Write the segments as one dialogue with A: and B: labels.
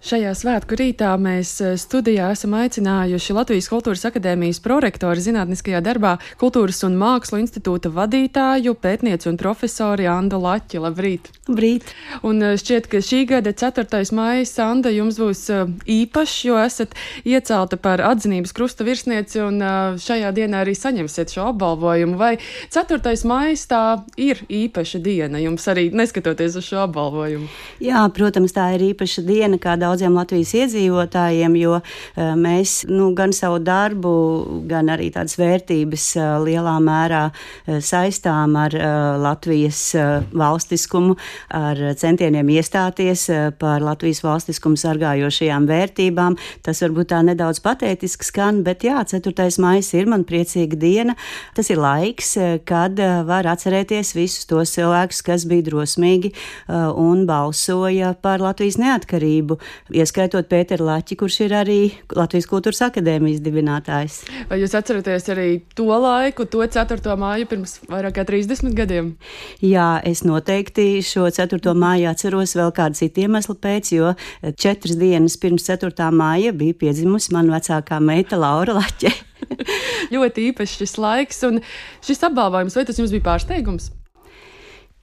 A: Šajā svētku rītā mēs studijā esam aicinājuši Latvijas Kultūras akadēmijas prorektori zinātniskajā darbā Kultūras un Mākslu institūta vadītāju, pētnieci un profesori Andu Laķi. Labrīt!
B: Labrīt!
A: Un šķiet, ka šī gada 4. maijs, Anda, jums būs īpašs, jo esat iecelta par atzinības krusta virsnieci un šajā dienā arī saņemsiet šo apbalvojumu. Vai 4. maijs tā ir īpaša diena jums arī neskatoties uz šo apbalvojumu?
B: Jā, protams, tā ir īpaša diena kā daudziem Latvijas iedzīvotājiem, jo mēs gan savu darbu, gan arī tādas vērtības lielā mērā saistām ar Latvijas valstiskumu, ar centieniem iestāties par Latvijas valstiskumu sargājošajām vērtībām. Tas varbūt tā nedaudz patētiski skan, bet jā, 4. maijs ir man priecīga diena. Tas ir laiks, kad var atcerēties visus tos cilvēkus, kas bija drosmīgi un balsoja par Latvijas neatkarību, ieskaitot Pēteru Laķi, kurš ir arī Latvijas Kultūras akadēmijas dibinātājs.
A: Vai jūs atceraties arī to laiku, to 4. māju pirms vairāk kā 30 gadiem?
B: Jā, es noteikti šo 4. māju atceros vēl kādu citu iemeslu pēc, jo 4 dienas pirms 4. māja bija piedzimusi mana vecākā meita Laura Laķe.
A: Ļoti īpašs šis laiks, un šis apbalvojums, vai tas jums bija pārsteigums?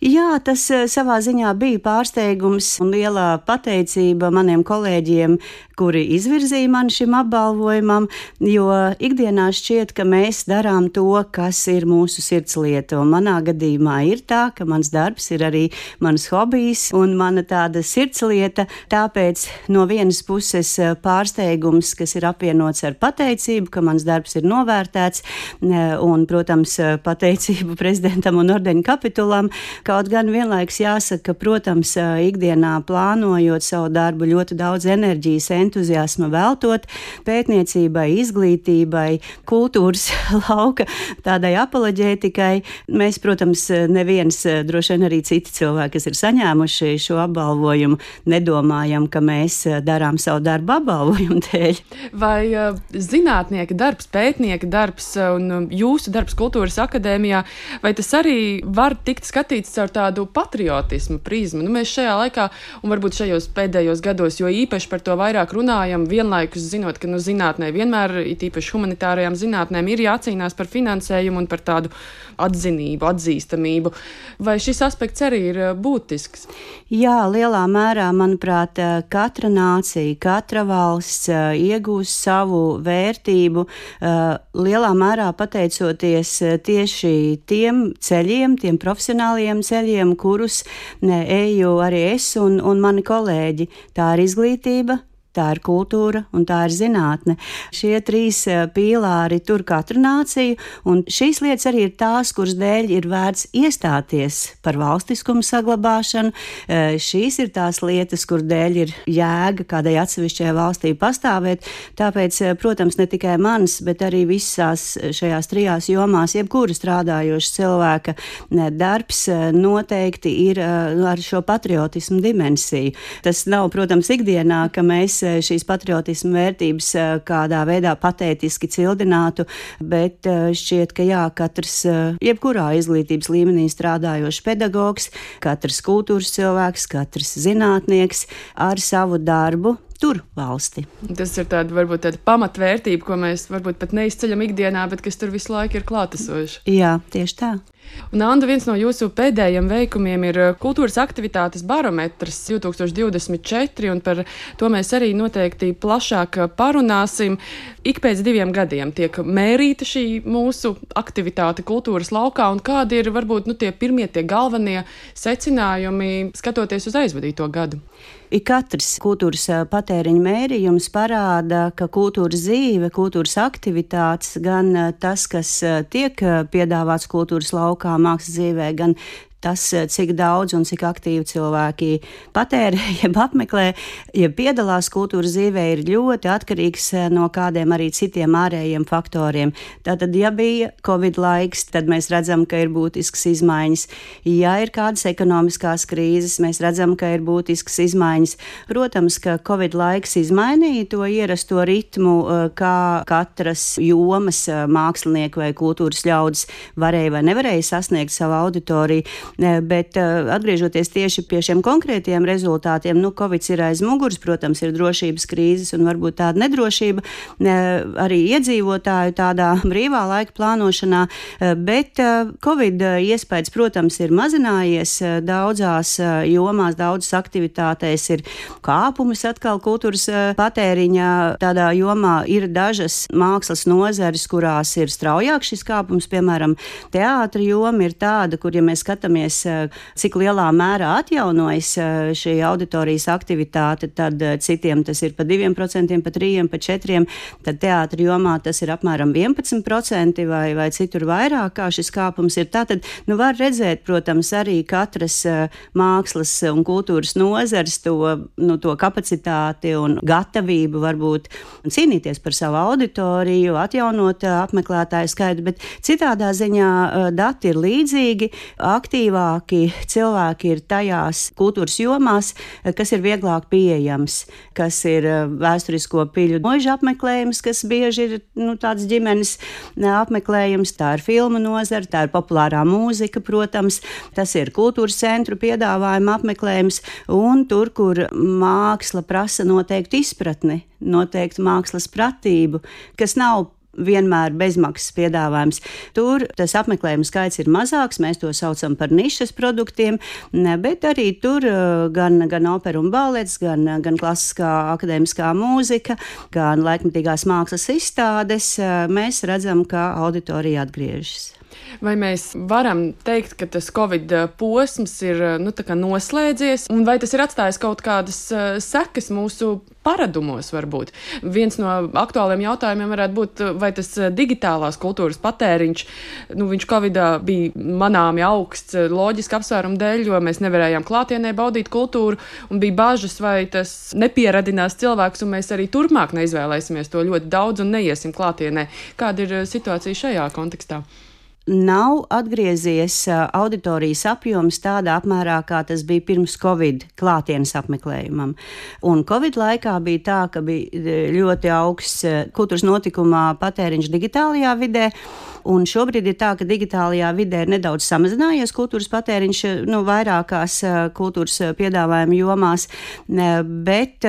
B: Jā, tas savā ziņā bija pārsteigums un liela pateicība maniem kolēģiem, kuri izvirzīja mani šim apbalvojumam, jo ikdienā šķiet, ka mēs darām to, kas ir mūsu sirdslieta, un manā gadījumā ir tā, ka mans darbs ir arī mans hobijs un mana tāda sirdslieta, tāpēc no vienas puses pārsteigums, kas ir apvienots ar pateicību, ka mans darbs ir novērtēts, un, protams, pateicību prezidentam un ordeņa kapitulam. Kaut gan vienlaiks jāsaka, ka, protams, ikdienā plānojot savu darbu ļoti daudz enerģijas, entuziasma veltot pētniecībai, izglītībai, kultūras lauka tādai apoloģētikai. Mēs, protams, neviens, droši vien arī citi cilvēki, kas ir saņēmuši šo apbalvojumu, nedomājam, ka mēs darām savu darbu apbalvojumu dēļ.
A: Vai zinātnieka darbs, pētnieka darbs un jūsu darbs Kultūras akadēmijā, vai tas arī var tikt skatīts caur tādu patriotismu prizmu? Mēs šajā laikā, un varbūt šajos pēdējos gados, jo īpaši par to vairāk runājam, vienlaikus zinot, ka zinātnē vienmēr, it īpaši humanitārajām zinātnēm, ir jācīnās par finansējumu un par tādu atzinību, atzīstamību. Vai šis aspekts arī ir būtisks?
B: Jā, lielā mērā, manuprāt, katra nācija, katra valsts iegūst savu vērtību, lielā mērā pateicoties tieši tiem ceļiem, tiem profesionāliem ceļiem, kurus eju arī es un mani kolēģi. Tā ir izglītība, tā ir kultūra un tā ir zinātne. Šie 3 pīlāri tur katru nāciju, un šīs lietas arī ir tās, kuras dēļ ir vērts iestāties par valstiskumu saglabāšanu. Šīs ir tās lietas, kur dēļ ir jēga kādai atsevišķai valstī pastāvēt. Tāpēc, protams, ne tikai mans, bet arī visās šajās 3 jomās, jebkura strādājoša cilvēka darbs noteikti ir ar šo patriotismu dimensiju. Tas nav, protams, ikdienā, ka mēs šīs patriotismu vērtības kādā veidā patētiski cildinātu, bet šķiet, ka jā, katrs jebkurā izglītības līmenī strādājošs pedagogs, katrs kultūras cilvēks, katrs zinātnieks ar savu darbu tur valsti.
A: Tas ir varbūt tāda pamatvērtība, ko mēs varbūt pat neizceļam ikdienā, bet kas tur visu laiku ir klātesoša.
B: Jā, tieši tā.
A: Un, Anda, viens no jūsu pēdējiem veikumiem ir kultūras aktivitātes barometrs 2024, un par to mēs arī noteikti plašāk parunāsim. Ik pēc 2 gadiem tiek mērīta šī mūsu aktivitāte kultūras laukā, un kādi ir varbūt tie pirmie, tie galvenie secinājumi, skatoties uz aizvadīto gadu?
B: Katrs kultūras patēriņa mērījums parāda, ka kultūras dzīve, kultūras aktivitātes, gan tas, kas tiek piedāvāts kultūras laukā, mākslas dzīvē, gan tas, cik daudz un cik aktīvi cilvēki patērē, jeb apmeklē, jeb piedalās kultūras dzīvē, ir ļoti atkarīgs no kādiem arī citiem ārējiem faktoriem. Tātad, ja bija Covid laiks, tad mēs redzam, ka ir būtiskas izmaiņas. Ja ir kādas ekonomiskās krīzes, mēs redzam, ka ir būtiskas izmaiņas. Protams, ka Covid laiks izmainīja to ierasto ritmu, kā katras jomas mākslinieki vai kultūras ļaudis varēja vai nevarēja sasniegt savu auditoriju. Bet atgriežoties tieši pie šiem konkrētiem rezultātiem, Covid ir aiz muguras, protams, ir drošības krīzes un varbūt tāda nedrošība arī iedzīvotāju tādā brīvā laika plānošanā, bet Covid iespējas, protams, ir mazinājies daudzās jomās, daudzas aktivitātēs ir kāpumus atkal kultūras patēriņā. Tādā jomā ir dažas mākslas nozares, kurās ir straujāk šis kāpums, piemēram, teātra joma ir tāda, kur, ja mēs skatāmies, cik lielā mērā atjaunojas šī auditorijas aktivitāte, tad citiem tas ir pa 2%, pa 3%, pa 4%, tad teātra jomā tas ir apmēram 11% vai citur vairāk, kā šis kāpums ir. Tātad, var redzēt, protams, arī katras mākslas un kultūras nozares to kapacitāti un gatavību varbūt cīnīties par savu auditoriju, atjaunot apmeklētāju skaitu, bet citādā ziņā dati ir līdzīgi, aktīvāki cilvēki ir tajās kultūras jomās, kas ir vieglāk pieejams, kas ir vēsturisko piļu mūža apmeklējums, kas bieži ir tāds ģimenes apmeklējums, tā ir filmu nozara, tā ir populārā mūzika, protams, tas ir kultūras centru piedāvājuma apmeklējums, un tur, kur māksla prasa noteiktu izpratni, noteiktu mākslas pratību, kas nav vienmēr bezmaksas piedāvājums. Tur tas apmeklējumu skaits ir mazāks, mēs to saucam par nišas produktiem, bet arī tur gan opera un balets, gan klasiskā akadēmiskā mūzika, gan laikmetīgās mākslas izstādes, mēs redzam, ka auditorija atgriežas.
A: Vai mēs varam teikt, ka tas Covid posms ir noslēdzies, un vai tas ir atstājis kaut kādas sekas mūsu paradumos varbūt? Viens no aktuāliem jautājumiem varētu būt, vai tas digitālās kultūras patēriņš, viņš Covidā bija manāmi augsts loģiski apsvērumu dēļ, jo mēs nevarējām klātienē baudīt kultūru, un bija bažas, vai tas nepieradinās cilvēks, un mēs arī turpmāk neizvēlēsimies to ļoti daudz un neiesim klātienē. Kāda ir situācija šajā kontekstā?
B: Nav atgriezies auditorijas apjoms tādā apmērā, kā tas bija pirms Covid klātienes apmeklējumam. Un Covid laikā bija tā, ka bija ļoti augsts kultūras notikumā patēriņš digitālajā vidē, un šobrīd ir tā, ka digitālajā vidē ir nedaudz samazinājies kultūras patēriņš vairākās kultūras piedāvājuma jomās, bet,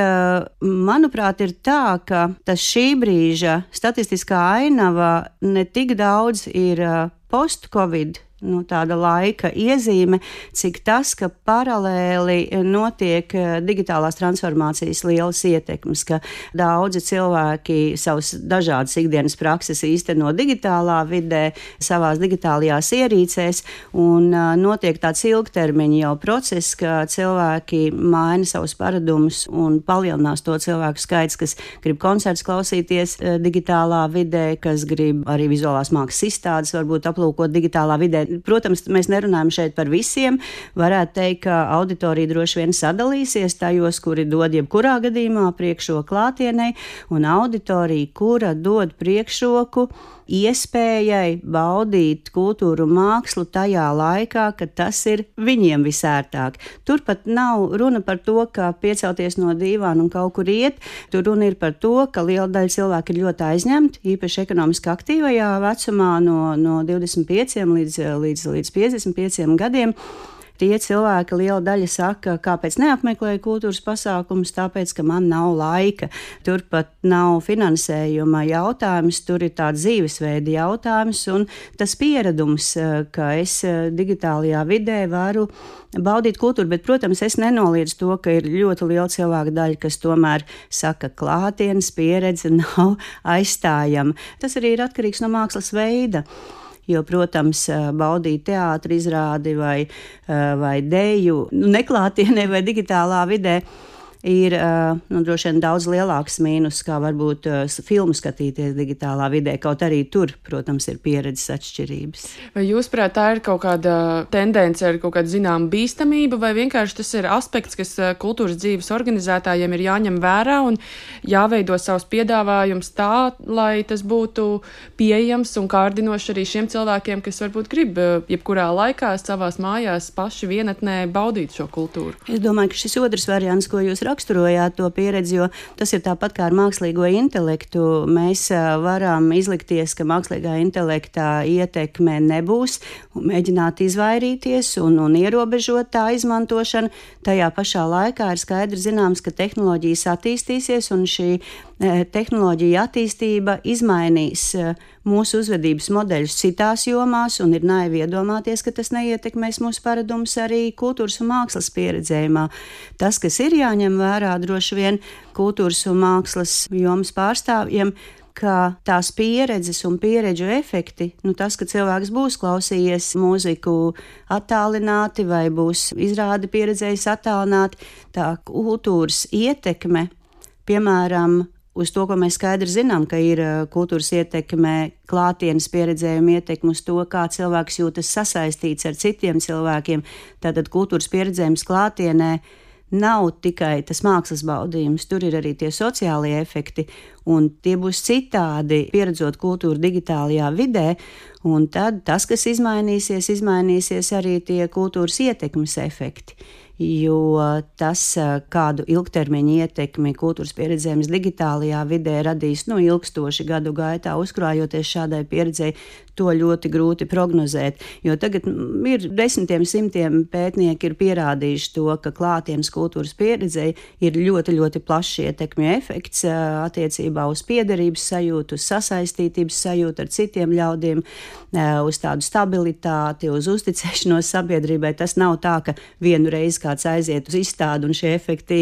B: manuprāt, ir tā, ka tas šī brīža statistiskā ainava ne tik daudz ir post-Covid tāda laika iezīme, cik tas, ka paralēli notiek digitālās transformācijas lielas ietekmes, ka daudzi cilvēki savus dažādas ikdienas prakses īsteno digitālā vidē, savās digitālajās ierīcēs, un notiek tāds ilgtermiņa jau process, ka cilvēki maina savus paradumus un palielinās to cilvēku skaits, kas grib koncerts klausīties digitālā vidē, kas grib arī vizuālās mākslas izstādes varbūt aplūkot digitālā vidē. Protams, mēs nerunājam šeit par visiem. Varētu teikt, ka auditorija droši vien sadalīsies tajos, kuri dod jebkurā gadījumā priekšroku klātienei, un auditorija, kura dod priekšroku iespējai baudīt kultūru un mākslu tajā laikā, kad tas ir viņiem visērtāk. Turpat nav runa par to, ka piecelties no dīvāna un kaut kur iet. Tur runa ir par to, ka liela daļa cilvēku ir ļoti aizņemti, īpaši ekonomiski aktīvajā vecumā no 25 līdz 55 gadiem. Tie cilvēki, liela daļa saka, kāpēc neapmeklēju kultūras pasākumus, tāpēc, ka man nav laika. Turpat nav finansējuma jautājums, tur ir tāds dzīvesveida jautājums un tas pieredums, ka es digitālajā vidē varu baudīt kultūru, bet, protams, es nenoliedzu to, ka ir ļoti liela cilvēka daļa, kas tomēr saka, klātienes pieredze nav aizstājama. Tas arī ir atkarīgs no mākslas veida. Jo, protams, baudīt teātra izrādi vai deju neklātienē vai digitālā vidē ir droši vien daudz lielāks mīnus, kā varbūt filmu skatīties digitālā vidē, kaut arī tur, protams, ir pieredzes atšķirības.
A: Vai jūs prāt, tā ir kaut kāda tendence ar kaut kādu zināmu bīstamību, vai vienkārši tas ir aspekts, kas kultūras dzīves organizētājiem ir jāņem vērā un jāveido savus piedāvājums tā, lai tas būtu pieejams un kārdinoši arī šiem cilvēkiem, kas varbūt grib jebkurā laikā savās mājās paši vienatnē baudīt šo kultūru?
B: Es domāju, ka šis otrs variants, ko jūs raksturojāt to pieredzi, jo tas ir tāpat kā ar mākslīgo intelektu. Mēs varam izlikties, ka mākslīgā intelekta ietekme nebūs, un mēģināt izvairīties un ierobežot tā izmantošanu. Tajā pašā laikā ir skaidri zināms, ka tehnoloģijas attīstīsies, un šī tehnoloģija attīstība izmainīs mūsu uzvedības modeļus citās jomās, un ir naivi iedomāties, ka tas neietekmēs mūsu paradumus arī kultūras un mākslas pieredzējumā. Tas, kas ir jāņem vērā droši vien kultūras un mākslas jomas pārstāvjiem, ka tās pieredzes un pieredžu efekti, tas, ka cilvēks būs klausījies mūziku attālināti vai būs izrādi pieredzējis attālināti, tā kultūras ietekme, piemēram, uz to, ko mēs skaidri zinām, ka ir kultūras ietekme, klātienes pieredzējuma ietekme uz to, kā cilvēks jūtas sasaistīts ar citiem cilvēkiem. Tātad kultūras pieredzējums klātienē nav tikai tas mākslas baudījums, tur ir arī tie sociālie efekti, un tie būs citādi pieredzot kultūru digitālajā vidē, un tad tas, kas izmainīsies arī tie kultūras ietekmes efekti. Jo tas, kādu ilgtermiņa ietekmi kultūras pieredzējums digitālajā vidē radīs ilgstoši gadu gaitā, uzkrājoties šādai pieredzei, to ļoti grūti prognozēt. Jo tagad ir desmitiem, simtiem pētnieki ir pierādījuši to, ka klātienes kultūras pieredzei ir ļoti, ļoti plašs ietekmju efekts attiecībā uz piederības sajūtu, uz sasaistītības sajūtu ar citiem ļaudīm, uz tādu stabilitāti, uz uzticēšanos sabiedrībai. Tas nav tā, ka vienu reizi kāds aiziet uz izstādi un šie efekti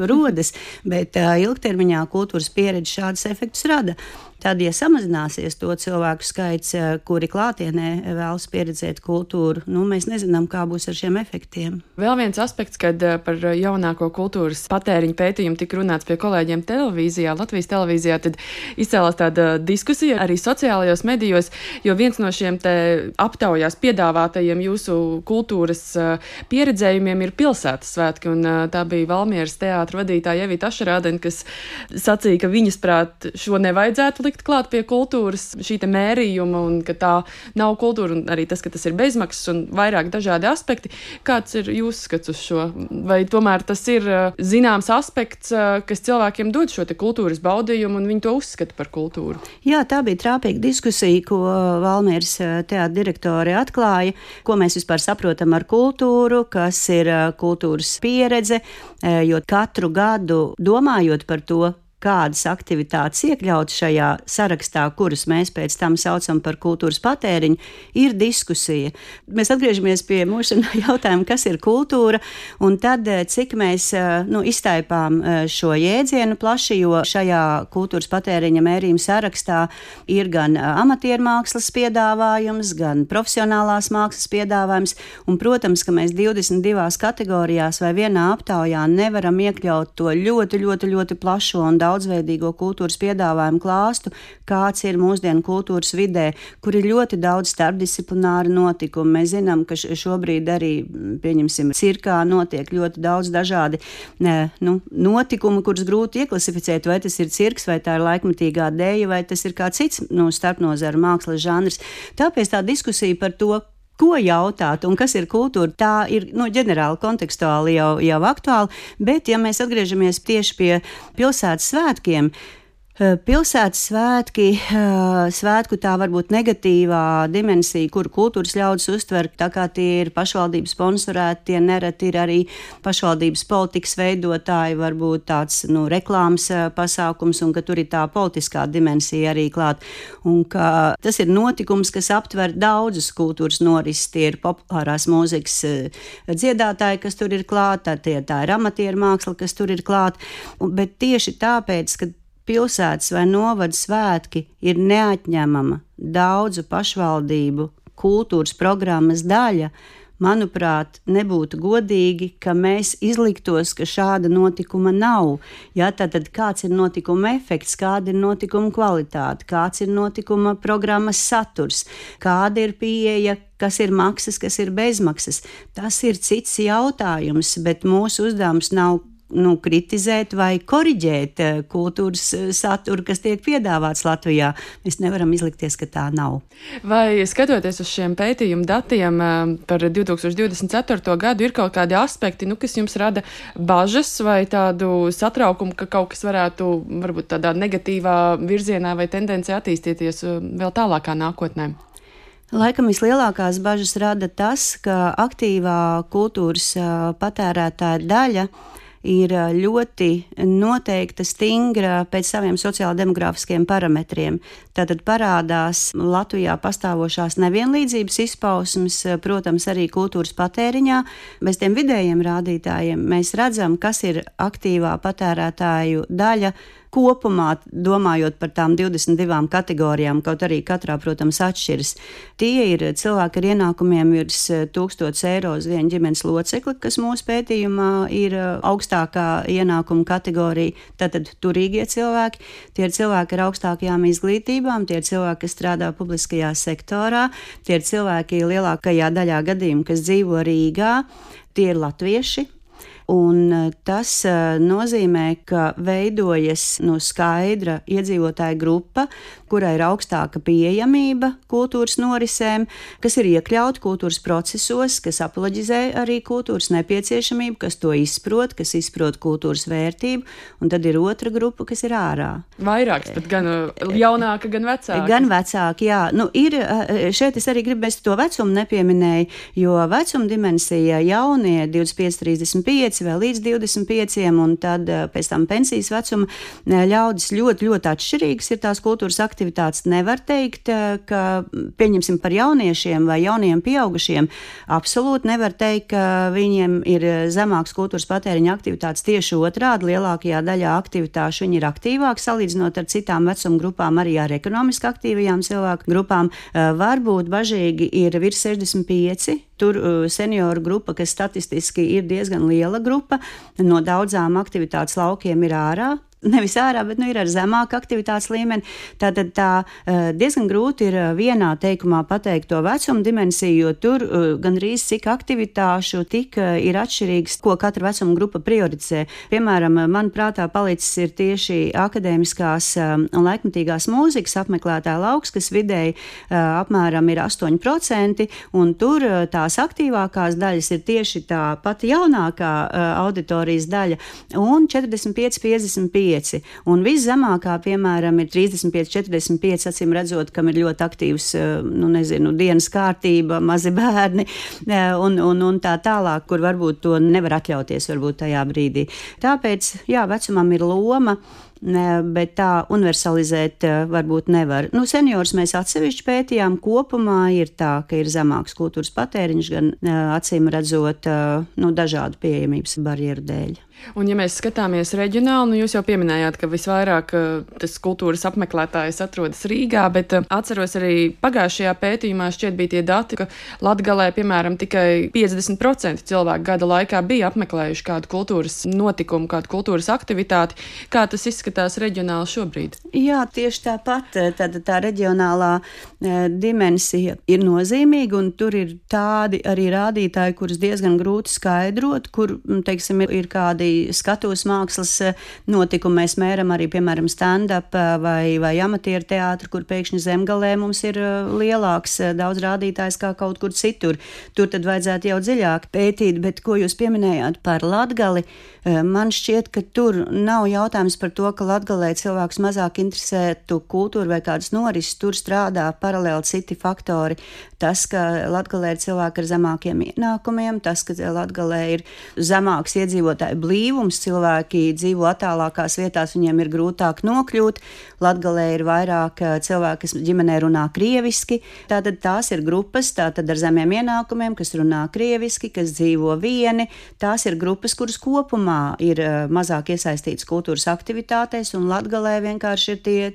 B: rodas, bet ilgtermiņā kultūras pieredze šādus efektus rada. Tad, ja samazināsies to cilvēku skaits, kuri klātienē vēlas pieredzēt kultūru, mēs nezinām, kā būs ar šiem efektiem.
A: Vēl viens aspekts, kad par jaunāko kultūras patēriņu pētījumu tika runāts pie kolēģiem televīzijā, Latvijas televīzijā, tad izcēlās tāda diskusija arī sociālajos medijos, jo viens no šiem te aptaujās piedāvātajiem jūsu kultūras pieredzējumiem ir pilsētas svētki, un tā bija Valmieras teātra vadītāja Evita Ašerādene, kas sacīja, ka viņas prāt šo nevajadzētu likt klāt pie kultūras, šī te mērījuma, un ka tā nav kultūra, un arī tas, ka tas ir bezmaksas un vairāk dažādi aspekti. Kāds ir jūsu skats uz šo? Vai tomēr tas ir zināms aspekts, kas cilvēkiem dod šo te kultūras baudījumu, un viņi to uzskata par kultūru?
B: Jā, tā bija trāpīga diskusija, ko Valmieras teātra direktori atklāja, ko mēs vispār saprotam ar kultūru, kas ir kultūras pieredze, jo katru gadu domājot par to, kādas aktivitātes iekļaut šajā sarakstā, kurus mēs pēc tam saucam par kultūras patēriņu, ir diskusija. Mēs atgriežamies pie mūsu jautājuma, kas ir kultūra, un tad, cik mēs iztaipām šo jēdzienu plaši, jo šajā kultūras patēriņa mērījuma sarakstā ir gan amatiermākslas piedāvājums, gan profesionālās mākslas piedāvājums, un, protams, ka mēs 22 kategorijās vai vienā aptaujā nevaram iekļaut to ļoti, ļoti, ļoti plašo un daudzveidīgo kultūras piedāvājumu klāstu, kāds ir mūsdienu kultūras vidē, kur ir ļoti daudz starpdisciplināru notikumu. Mēs zinām, ka šobrīd arī, pieņemsim, cirkā notiek ļoti daudz dažādi notikumi, kurus grūti ieklasificēt, vai tas ir cirks, vai tā ir laikmatīgā dēja, vai tas ir kā cits starpnozaru mākslas žanrs. Tāpēc tā diskusija par to, ko jautāt un kas ir kultūra, tā ir ģenerāli kontekstuāli jau aktuāli, bet ja mēs atgriežamies tieši pie pilsētas svētkiem, pilsētas svētku tā varbūt negatīvā dimensija, kuru kultūras ļaudis uztver, tā kā tie ir pašvaldības sponsorēti, tie nereti ir arī pašvaldības politikas veidotāji, varbūt tāds reklāmas pasākums, un ka tur ir tā politiskā dimensija arī klāt. Un ka tas ir notikums, kas aptver daudzus kultūras norises, tie ir populārās mūzikas dziedātāji, kas tur ir klāt, tā ir amatieru māksla, kas tur ir klāt, bet tieši tāpēc, ka pilsētas vai novada svētki ir neatņemama daudzu pašvaldību kultūras programmas daļa, manuprāt, nebūtu godīgi, ka mēs izliktos, ka šāda notikuma nav. Ja, tad kāds ir notikuma efekts, kāda ir notikuma kvalitāte, kāds ir notikuma programmas saturs, kāda ir pieeja, kas ir maksas, kas ir bezmaksas. Tas ir cits jautājums, bet mūsu uzdevums nav kritizēt vai koriģēt kultūras saturu, kas tiek piedāvāts Latvijā. Mēs nevaram izlikties, ka tā nav.
A: Vai skatoties uz šiem pētījumu datiem par 2024. gadu, ir kaut kādi aspekti, kas jums rada bažas vai tādu satraukumu, ka kaut kas varētu varbūt tādā negatīvā virzienā vai tendencē attīstīties vēl tālākā nākotnē?
B: Laikam vislielākās bažas rada tas, ka aktīvā kultūras patērētāja daļa ir ļoti noteikta, stingra pēc saviem sociāla-demogrāfiskiem parametriem. Tātad parādās Latvijā pastāvošās nevienlīdzības izpausmes, protams, arī kultūras patēriņā. Bez tiem vidējiem rādītājiem mēs redzam, kas ir aktīvā patērētāju daļa kopumā, domājot par tām 22 kategorijām, kaut arī katrā, protams, atšķiras. Tie ir cilvēki ar ienākumiem virs 1000 eiro uz vienu ģimenes locekli, kas mūsu pētījumā ir augstākā ienākuma kategorija, tātad turīgie cilvēki. Tie ir cilvēki ar augstākajām izglītībām, tie ir cilvēki, kas strādā publiskajā sektorā, tie ir cilvēki lielākajā daļā gadījumu, kas dzīvo Rīgā, tie ir latvieši. Un tas nozīmē, ka veidojas skaidra iedzīvotāja grupa, kurai ir augstāka pieejamība kultūras norisēm, kas ir iekļauti kultūras procesos, kas apoloģizē arī kultūras nepieciešamību, kas to izprot, kas izprot kultūras vērtību, un tad ir otra grupa, kas ir ārā.
A: Vairāks, pat gan jaunāka, gan vecāka.
B: Gan vecāki, jā. Šeit es arī gribu, es to vecumu nepieminēju, jo vecuma dimensija jaunie 25, 35, vēl līdz 25, un tad pēc tam pensijas vecuma ļaudis ļoti, ļoti atšķirīgas ir tās kultūras aktivitātes. Nevar teikt, ka pieņemsim par jauniešiem vai jauniem pieaugušiem, absolūti nevar teikt, ka viņiem ir zemāks kultūras patēriņa aktivitātes, tieši otrādi, lielākajā daļā aktivitāšu viņi ir aktīvāki, salīdzinot ar citām vecuma grupām, arī ar ekonomiski aktīvajām cilvēku grupām. Varbūt bažīgi ir virs 65, tur senioru grupa, kas statistiski ir diezgan liela grupa, no daudzām aktivitātes laukiem ir ārā. Nevis ārā, bet ir ar zemāku aktivitātes līmeni. Tātad diezgan grūti ir vienā teikumā pateikt to vecuma dimensiju, jo tur gandrīz cik aktivitāšu tik ir atšķirīgs, ko katra vecuma grupa prioritizē. Piemēram, man prātā palicis ir tieši akadēmiskās un laikmetīgās mūzikas apmeklētāja lauks, kas vidēji apmēram ir 8%, un tur tās aktīvākās daļas ir tieši tā pati jaunākā auditorijas daļa, un 45-55. Un viszemākā, piemēram, ir 35-45, acīm redzot, kam ir ļoti aktīvs, dienas kārtība, mazi bērni un tā tālāk, kur varbūt to nevar atļauties varbūt tajā brīdī. Tāpēc, vecumam ir loma, bet tā universalizēt varbūt nevar. Seniors mēs atsevišķi pētījām, kopumā ir tā, ka ir zemāks kultūras patēriņš, gan acīm redzot dažādu pieejamības barjeru dēļ.
A: Un, ja mēs skatāmies reģionāli, jūs jau pieminējāt, ka visvairāk tas kultūras apmeklētājs atrodas Rīgā, bet atceros arī pagājušajā pētījumā šķiet bija tie dati, ka Latgalē, piemēram, tikai 50% cilvēku gada laikā bija apmeklējuši kādu kultūras notikumu, kādu kultūras aktivitāti. Kā tas izskatās reģionāli šobrīd? Jā, tieši tāpat. Tad tā reģionālā dimensija ir nozīmīga, un tur ir tādi arī rādītāji, kurus diezgan grūti skaidrot, kur, teiksim, ir kādi skatuves mākslas notikumi. Mēs mēram arī, piemēram, stand-up vai amatieru teātru, kur pēkšņi Zemgalē mums ir lielāks daudz rādītājs kā kaut kur citur. Tur tad vajadzētu jau dziļāk pētīt, bet ko jūs pieminējāt par Latgali, man šķiet, ka tur nav jautājums par to, ka Latgalē cilvēks mazāk interesētu kultūru vai kādas norises, tur strādā paralēli citi faktori. Tas, ka Latgalē ir cilvēki ar zemākiem ienākumiem, tas, ka Latgalē ir zemāks iedzīvotāju blīvums, cilvēki dzīvo attālākās vietās, viņiem ir grūtāk nokļūt. Latgalē ir vairāk cilvēki, kas ģimenē runā krieviski, tātad tās ir grupas, tātad ar zemiem ienākumiem, kas runā krieviski, kas dzīvo vieni, tās ir grupas, kuras kopumā ir mazāk iesaistītas kultūras aktivitātēs, un Latgalē vienkārši ir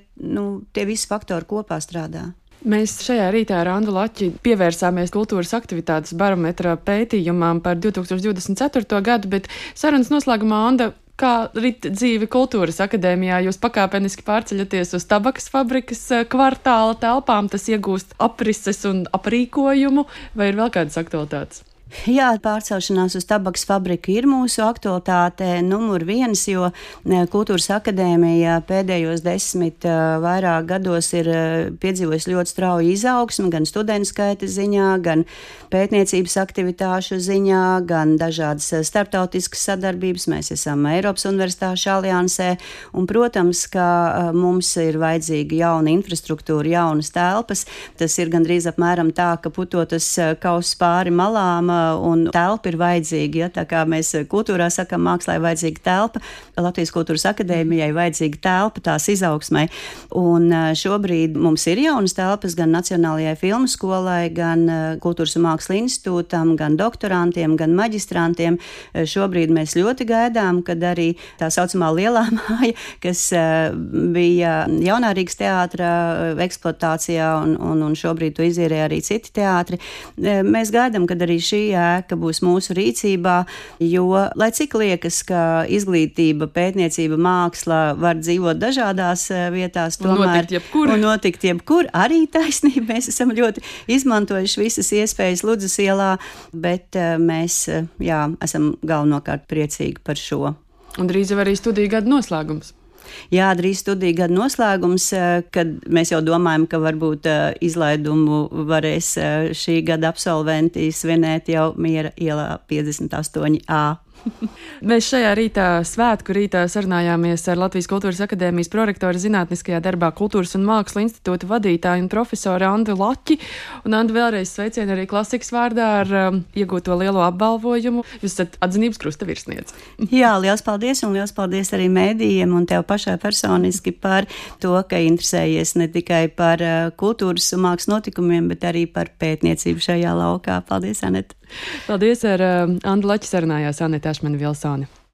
A: tie visi faktori kopā strādā. Mēs šajā rītā ar Andu Laķi pievērsāmies kultūras aktivitātes barometra pētījumam par 2024. gadu, bet sarunas noslēgumā, Anda, kā rit dzīve kultūras akadēmijā? Jūs pakāpeniski pārceļaties uz tabakas fabrikas kvartāla telpām, tas iegūst aprises un aprīkojumu, vai ir vēl kādas aktualitātes?
B: Jā, pārcelšanās uz tabakas fabriku ir mūsu aktualitāte numur 1, jo Kultūras akadēmija pēdējos 10 vairāk gados ir piedzīvojusi ļoti strauju izaugsmu, gan studentu skaita ziņā, gan pētniecības aktivitāšu ziņā, gan dažādas starptautiskas sadarbības. Mēs esam Eiropas Universitāšu aliansē, un, protams, ka mums ir vajadzīga jauna infrastruktūra, jaunas telpas. Tas ir gandrīz apmēram tā, ka putotas kauss pāri malām, un telpa ir vajadzīga. Ja? Tā kā mēs kultūrā sakam, mākslā ir vajadzīga telpa, Latvijas Kultūras akadēmijai vajadzīga telpa tās izaugsmai. Un šobrīd mums ir jaunas telpas gan Nacionālajai filmu skolai, gan Kultūras un mākslas institūtam, gan doktorantiem, gan maģistrantiem. Šobrīd mēs ļoti gaidām, kad arī tā saucamā lielā māja, kas bija Jaunā Rīgas teātra eksploatācijā, un šobrīd to izīrē arī citi teātri. Mēs gaidām, kad arī šī ēka būs mūsu rīcībā, jo, lai cik liekas, ka izglītība, pētniecība, māksla var dzīvot dažādās vietās, tomēr notikt jebkur, arī taisnība. Mēs esam ļoti izmantojuši visas iespējas Ludzas ielā, bet mēs, esam galvenokārt priecīgi par šo.
A: Un drīz jau arī studiju gada noslēgums.
B: Jā, drīz studiju gada noslēgums, kad mēs jau domājam, ka varbūt izlaidumu varēs šī gada absolventi svinēt jau Miera ielā 58A.
A: Mēs šajā svētku rītā sarunājāmies ar Latvijas Kultūras akadēmijas prorektoru zinātniskajā darbā Kultūras un mākslu institūta vadītāju un profesoru Andu Laķi. Un Andu, vēlreiz sveicienu arī klasikas vārdā ar iegūto lielo apbalvojumu. Jūs esat atzinības krusta virsniece.
B: Jā, liels paldies, un liels paldies arī mēdījiem un tev pašai personiski par to, ka interesējies ne tikai par kultūras un mākslas notikumiem, bet arī par pētniecību šajā laukā. Paldies, Aneta!
A: Paldies, ar Andu Laķi sarunājās Aneta Ašmane Vilsone.